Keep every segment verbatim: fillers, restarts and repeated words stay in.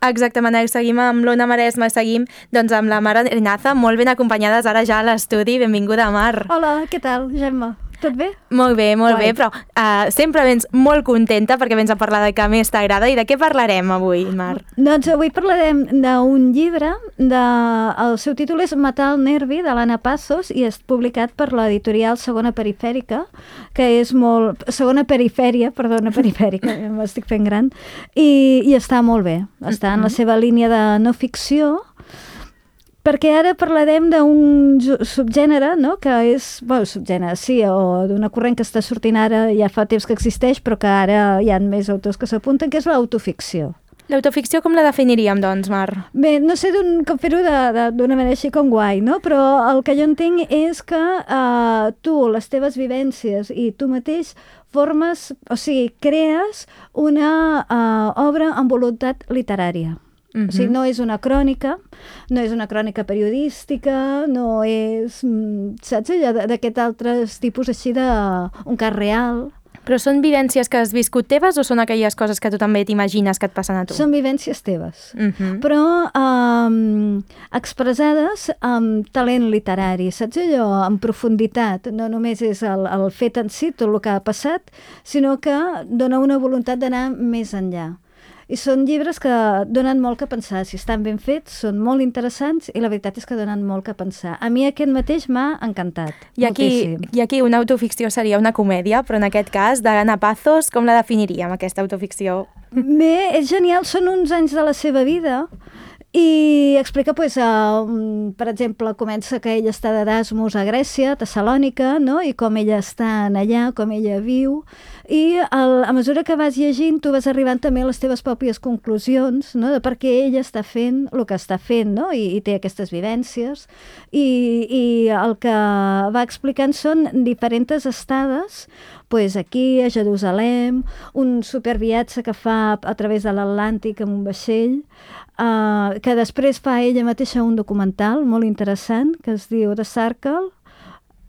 Exactament, seguim amb l'Ona Maresma, seguim doncs, amb la Mar Arinaza, molt ben acompanyades ara ja a l'estudi. Benvinguda, Mar. Hola, què tal, Gemma? Tot bé? Molt bé, molt Guai. bé, però uh, sempre vens molt contenta perquè vens a parlar de què més t'agrada. I de què parlarem avui, Mar? Doncs avui parlarem d'un llibre, de... el seu títol és Matar el nervi, de l'Anna Pazos, i és publicat per l'editorial Segona Perifèrica, que és molt... Segona Perifèria, perdona, Perifèrica, m'estic fent gran, i, i està molt bé. Està en la seva línia de no ficció, perquè ara parlarem d'un subgènere, no?, que és, bueno, subgènere, sí, o d'una corrent que està sortint ara, ja fa temps que existeix, però que ara hi ha més autors que s'apunten, que és l'autoficció. L'autoficció com la definiríem, doncs, Mar? Bé, no sé com fer-ho d'una manera així com guai, no? Però el que jo entenc és que uh, tu, les teves vivències i tu mateix formes, o sigui, crees una uh, obra amb voluntat literària. Uh-huh. O sigui, no és una crònica, no és una crònica periodística, no és, saps, allò d'aquest altres tipus així de un cas real. Però són vivències que has viscut teves o són aquelles coses que tu també t'imagines que et passen a tu? Són vivències teves, uh-huh. però um, expressades amb talent literari, saps allò, amb profunditat. No només és el, el fet en si, tot el que ha passat, sinó que dona una voluntat d'anar més enllà. I són llibres que donen molt que pensar. Si estan ben fets, són molt interessants i la veritat és que donen molt que pensar. A mi aquest mateix m'ha encantat. I aquí, I aquí una autoficció seria una comèdia, però en aquest cas, d'Anna Pazos, com la definiríem, aquesta autoficció? Bé, és genial. Són uns anys de la seva vida i explica, pues, uh, per exemple, comença que ella està d'Erasmus a Grècia, a Tessalònica, no?, i com ella està allà, com ella viu, i el, a mesura que vas llegint tu vas arribant també a les teves pròpies conclusions, no?, de per què ella està fent el que està fent, no?, i, i té aquestes vivències, i, i el que va explicant són diferents estades, pues aquí a Jerusalem, un superviatge que fa a través de l'Atlàntic amb un vaixell, Uh, que després fa ella mateixa un documental molt interessant que es diu The Circle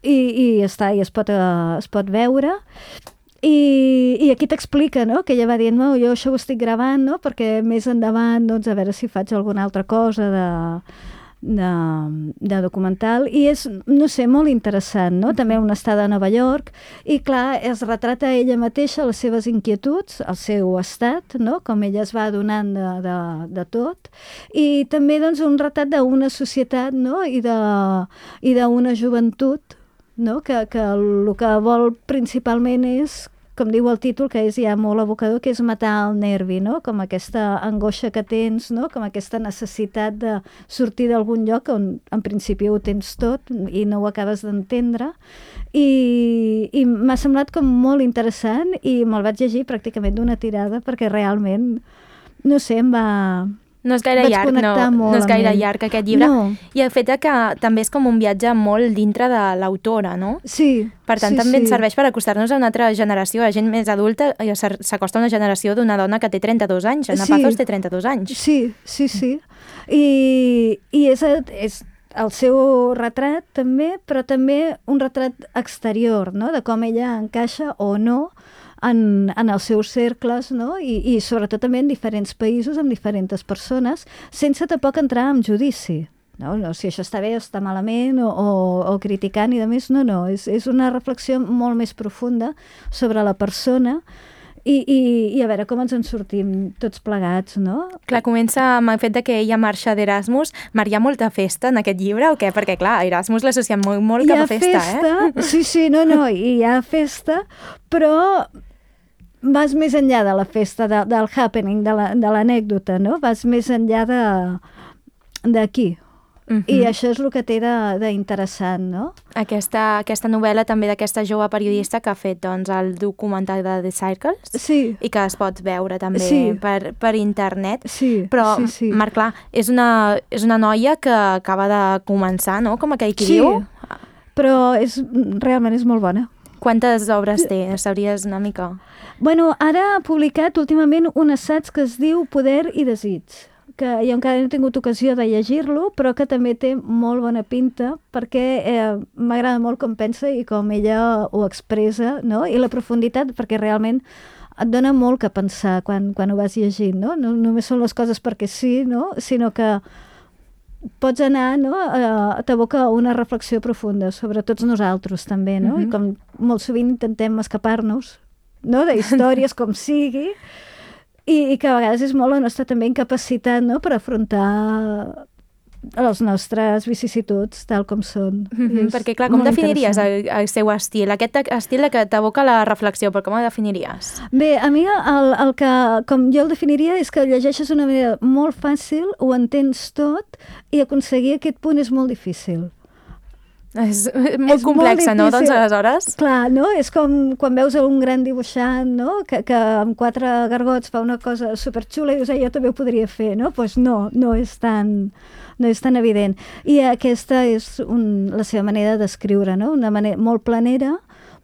i, i, està, i es, pot, uh, es pot veure i, i aquí t'explica, no?, que ella va dient, no, jo això ho estic gravant, no?, perquè més endavant, doncs, a veure si faig alguna altra cosa de... De, de documental, i és, no sé, molt interessant, no? També una estada a Nova York, i clar, es retrata ella mateixa les seves inquietuds, el seu estat, no?, com ella es va adonant de, de, de tot, i també, doncs, un retrat d'una societat, no?, i de, i d'una joventut, no?, que, que el que vol principalment és, com diu el títol, que és ja molt evocador, que és matar el nervi, no?, com aquesta angoixa que tens, no?, com aquesta necessitat de sortir d'algun lloc on en principi ho tens tot i no ho acabes d'entendre, i, i m'ha semblat com molt interessant i me'l vaig llegir pràcticament d'una tirada perquè realment, no sé, em va... No és gaire llarg, no, no és gaire llarg aquest llibre. No. I el fet que també és com un viatge molt dintre de l'autora, no? Sí. Per tant, sí, també sí. ens serveix per acostar-nos a una altra generació, a gent més adulta, i s'acosta a una generació d'una dona que té trenta-dos anys. Anna sí. Pazos té trenta-dos anys. Sí, sí, sí. I, i és, és el seu retrat també, però també un retrat exterior, no?, de com ella encaixa o no En, en els seus cercles, no? I, i sobretot també en diferents països, amb diferents persones, sense tampoc entrar en judici. No? No, si això està bé o està malament, o, o, o criticant i de més, no, no. És, és una reflexió molt més profunda sobre la persona i, i, i a veure com ens en sortim tots plegats, no? Clar, comença amb el fet de que ella marxa d'Erasmus. Mar, hi ha molta festa en aquest llibre o què? Perquè, clar, Erasmus l'associem molt, molt cap a festa, festa, eh? Sí, sí, no, no, hi ha festa, però vas més enllà de la festa, de, del happening, de l'anècdota, la, no? Vas més enllà d'aquí. Uh-huh. I això és el que té d'interessant, no? Aquesta, aquesta novel·la també d'aquesta jove periodista que ha fet, doncs, el documental de The Circles, sí. i que es pot veure també sí. per, per internet. Sí, però, sí, sí. Marc, clar, és una, és una noia que acaba de començar, no?, com aquell qui sí, diu. Però és, realment és molt bona. Quantes obres té? Sabries una mica? Bueno, ara ha publicat últimament un assaig que es diu Poder i desig, que jo encara no he tingut ocasió de llegir-lo, però que també té molt bona pinta, perquè eh, m'agrada molt com pensa i com ella ho expressa, no? I la profunditat, perquè realment et dona molt que pensar quan, quan ho vas llegint, no? No només són les coses perquè sí, no? Sinó que pots anar, no? Uh, t'aboca una reflexió profunda sobre tots nosaltres també, no? Mm-hmm. I com molt sovint intentem escapar-nos, no? De històries com sigui, i, i que a vegades és molt la nostra també incapacitat, no? Per afrontar les nostres vicissituds tal com són. Mm-hmm, perquè clar, com definiries el, el seu estil? Aquest estil que t'aboca la reflexió, però com el definiries? Bé, a mi el, el que, com jo el definiria, és que el llegeixes d'una manera molt fàcil, ho entens tot, i aconseguir aquest punt és molt difícil. És molt és complexa, molt no? Doncs aleshores... Clar, no? És com quan veus un gran dibuixant, no? Que, que amb quatre gargots fa una cosa superxula i dius, jo també ho podria fer, no? Doncs pues no, no és tan... no és tan evident. I aquesta és un, la seva manera d'escriure, no? Una manera molt planera,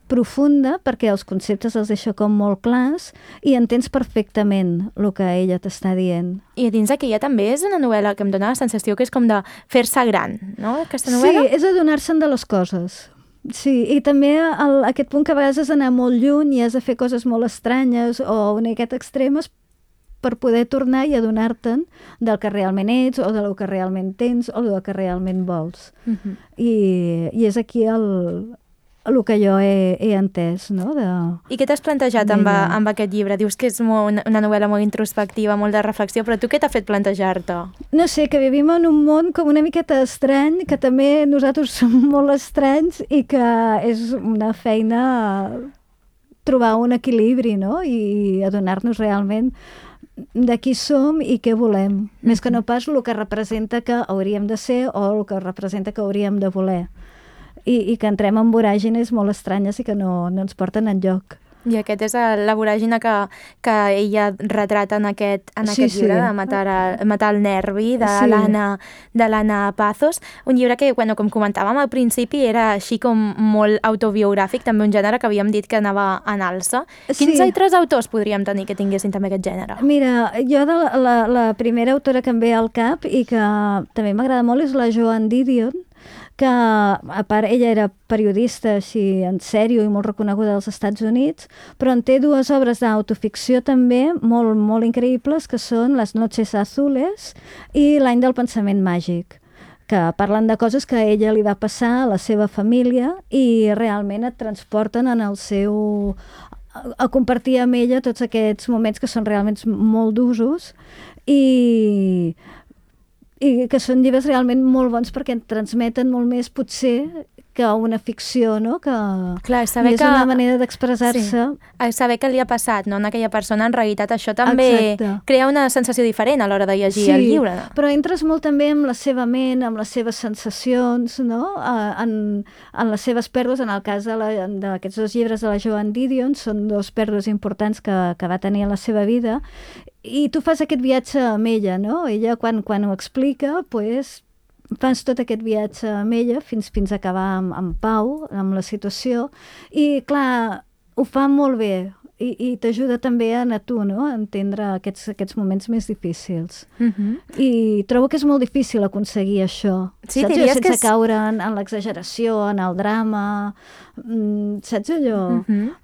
profunda, perquè els conceptes els deixa com molt clars i entens perfectament el que ella t'està dient. I dins d'aquella també és una novel·la que em dona la sensació que és com de fer-se gran, no? Aquesta novel·la? Sí, és adonar-se'n de les coses. Sí, i també el, aquest punt que a vegades has d'anar molt lluny i has de fer coses molt estranyes o una miqueta extremes per poder tornar i adonar-te'n del que realment ets o del que realment tens o del que realment vols. Uh-huh. I, I és aquí el, el que jo he, he entès, no? De, I què t'has plantejat amb, amb aquest llibre? Dius que és molt, una novel·la molt introspectiva, molt de reflexió, però tu què t'ha fet plantejar-te? No sé, que vivim en un món com una miqueta estrany, que també nosaltres som molt estranys i que és una feina trobar un equilibri, no? I adonar-nos realment de qui som i què volem, mm-hmm. més que no pas el que representa que hauríem de ser o el que representa que hauríem de voler. I, i que entrem en voràgines molt estranyes i que no, no ens porten enlloc. I aquest és la voràgina que, que ella retrata en aquest, en aquest sí, llibre, sí. de matar, a, matar el nervi, de sí. l'Anna de l'Anna Pazos. Un llibre que, bueno, com comentàvem al principi, era així com molt autobiogràfic, també un gènere que havíem dit que anava en alça. Sí. Quins altres autors podríem tenir que tinguessin també aquest gènere? Mira, jo de la, la, la primera autora que em ve al cap i que també m'agrada molt és la Joan Didion, que a part ella era periodista així en sèrio i molt reconeguda als Estats Units, però en té dues obres d'autoficció també molt, molt increïbles, que són Les noches azules i L'any del pensament màgic, que parlen de coses que a ella li va passar a la seva família i realment et transporten en el seu... a compartir amb ella tots aquests moments que són realment molt d'usos i... i que són llibres realment molt bons perquè et transmeten molt més, potser, que una ficció, no? Que clar, saber és que... una manera d'expressar-se. Sí. Saber què li ha passat, no? En aquella persona, en realitat, això també Exacte. Crea una sensació diferent a l'hora de llegir sí, el llibre. No? Però entres molt també amb la seva ment, amb les seves sensacions, no? En, en les seves pèrdues, en el cas d'aquests dos llibres de la Joan Didion, són dos pèrdues importants que, que va tenir en la seva vida, i tu fas aquest viatge amb ella, no? Ella, quan, quan ho explica, pues, fas tot aquest viatge amb ella fins, fins a acabar amb, amb pau, amb la situació, i clar, ho fa molt bé, i, i t'ajuda també a, a tu, no? A entendre aquests, aquests moments més difícils. Uh-huh. I trobo que és molt difícil aconseguir això, sí, saps? Diries Sense que és... caure en, en l'exageració, en el drama, saps allò? Uh-huh.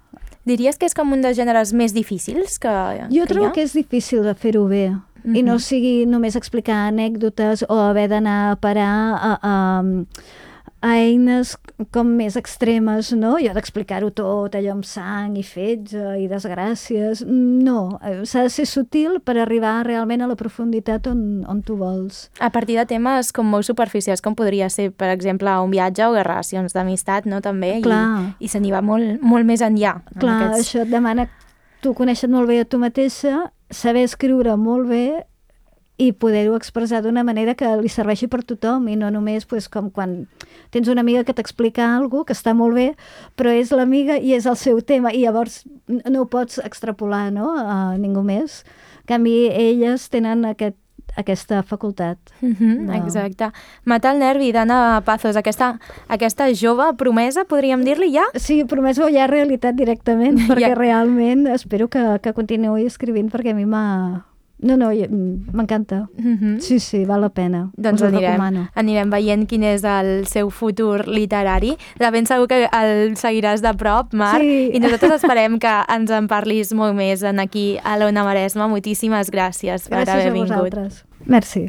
Diries que és com un dels gèneres més difícils que, jo que trobo que és difícil de fer-ho bé. Uh-huh. I no sigui només explicar anècdotes o haver d'anar a parar a, a, a eines com més extremes, no? I ha d'explicar-ho tot, allò amb sang i fetge i desgràcies. No, s'ha de ser sutil per arribar realment a la profunditat on, on tu vols. A partir de temes com molt superficials, com podria ser, per exemple, un viatge o relacions d'amistat, no? També, Clar. i, i se n'hi va molt, molt més enllà. Clar, en aquests... això et demana tu conèixer molt bé a tu mateixa, saber escriure molt bé i poder-ho expressar d'una manera que li serveixi per tothom i no només pues, com quan tens una amiga que t'explica alguna cosa que està molt bé, però és l'amiga i és el seu tema i llavors no ho pots extrapolar, no? A ningú més. En canvi, elles tenen aquest, aquesta facultat. Mm-hmm, no. Exacte. Matar el nervi d'Anna Pazos, aquesta, aquesta jove promesa, podríem dir-li ja? Sí, promesa o ja realitat directament, perquè ja. realment espero que, que continuï escrivint perquè a mi m'ha... No, no, m'encanta. Mm-hmm. Sí, sí, val la pena. Doncs us ho anirem, recomano. Anirem veient quin és el seu futur literari. De ben segur que el seguiràs de prop, Mar, sí. i nosaltres esperem que ens en parlis molt més en aquí a l'Ona Maresma. Moltíssimes gràcies per gràcies haver vingut. Gràcies a vosaltres. Merci.